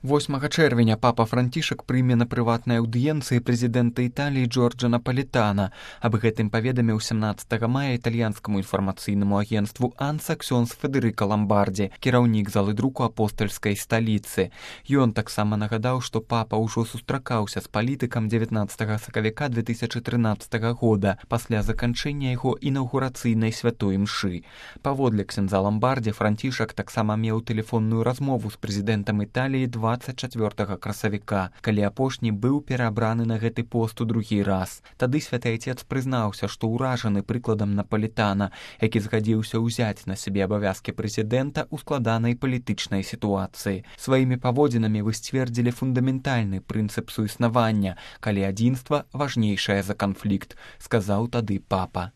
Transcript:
8 чэрвеня папа Францішак прыме на прыватнай аўдыенцыі прэзідэнта Італіі Джорджа Напалітана. Аб гэтым паведаміў 17 мая італьянскаму інфармацыйнаму агенцтву АНСА ксёндз Федэрыка Ламбардзі, кіраўнік залы друку апостальскай сталіцы. Ён таксама нагадаў, што папа ўжо сустракаўся з палітыкам 19 сакавіка 2013 года пасля заканчэння яго інаўгурацыйнай святой імшы. Паводле ксяндза Ламбардзі, Францішак таксама меў тэлефонную размову з прэзідэнтам Італіі 24 красавіка, калі апошні быў перабраны на гэты пост у другі раз. Тады святы айцец прызнаўся, што ўражаны прыкладам Напалітана, які згадзіўся ўзяць на сябе абавязкі прэзідэнта ў складанай палітычнай сітуацыі. Сваімі паводзінамі вы сцвердзілі фундаментальны прынцып суіснавання, калі адзінства важнейшае за канфлікт, сказаў тады папа.